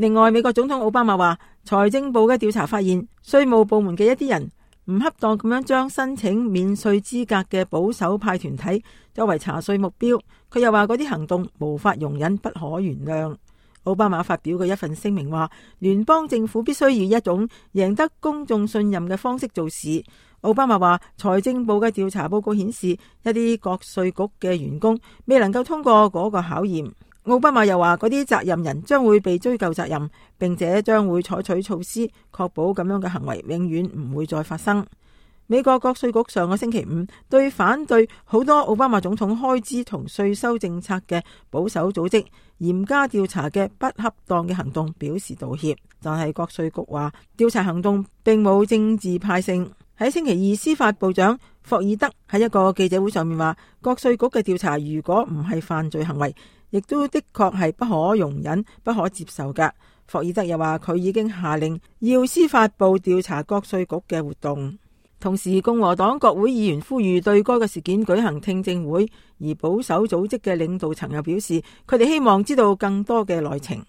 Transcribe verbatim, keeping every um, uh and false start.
另外，美國總統奧巴馬話，財政部嘅調查發現，稅務部門嘅一啲人唔恰當咁樣將申請免稅資格嘅保守派團體作為查稅目標。佢又話嗰啲行動無法容忍，不可原諒。奧巴馬發表嘅一份聲明話，聯邦政府必須以一種贏得公眾信任嘅方式做事。奧巴馬話，財政部嘅調查報告顯示，一啲國稅局嘅員工未能夠通過嗰個考驗。奧巴馬又話，嗰啲責任人將會被追究責任，並且將會採取措施，確保咁樣嘅行為永遠唔會再發生。美國國稅局上個星期五對反對好多奧巴馬總統開支同稅收政策嘅保守組織嚴加調查嘅不恰當嘅行動表示道歉，但係國稅局話調查行動並冇政治派性。喺星期二，司法部長霍爾德喺一個記者會上面話，國稅局嘅調查如果唔係犯罪行為，亦都的確係不可容忍、不可接受㗎。霍爾德又話，佢已經下令要司法部調查國稅局嘅活動。同時，共和黨國會議員呼籲對該個事件舉行聽證會，而保守組織嘅領導層又表示，佢哋希望知道更多嘅內情。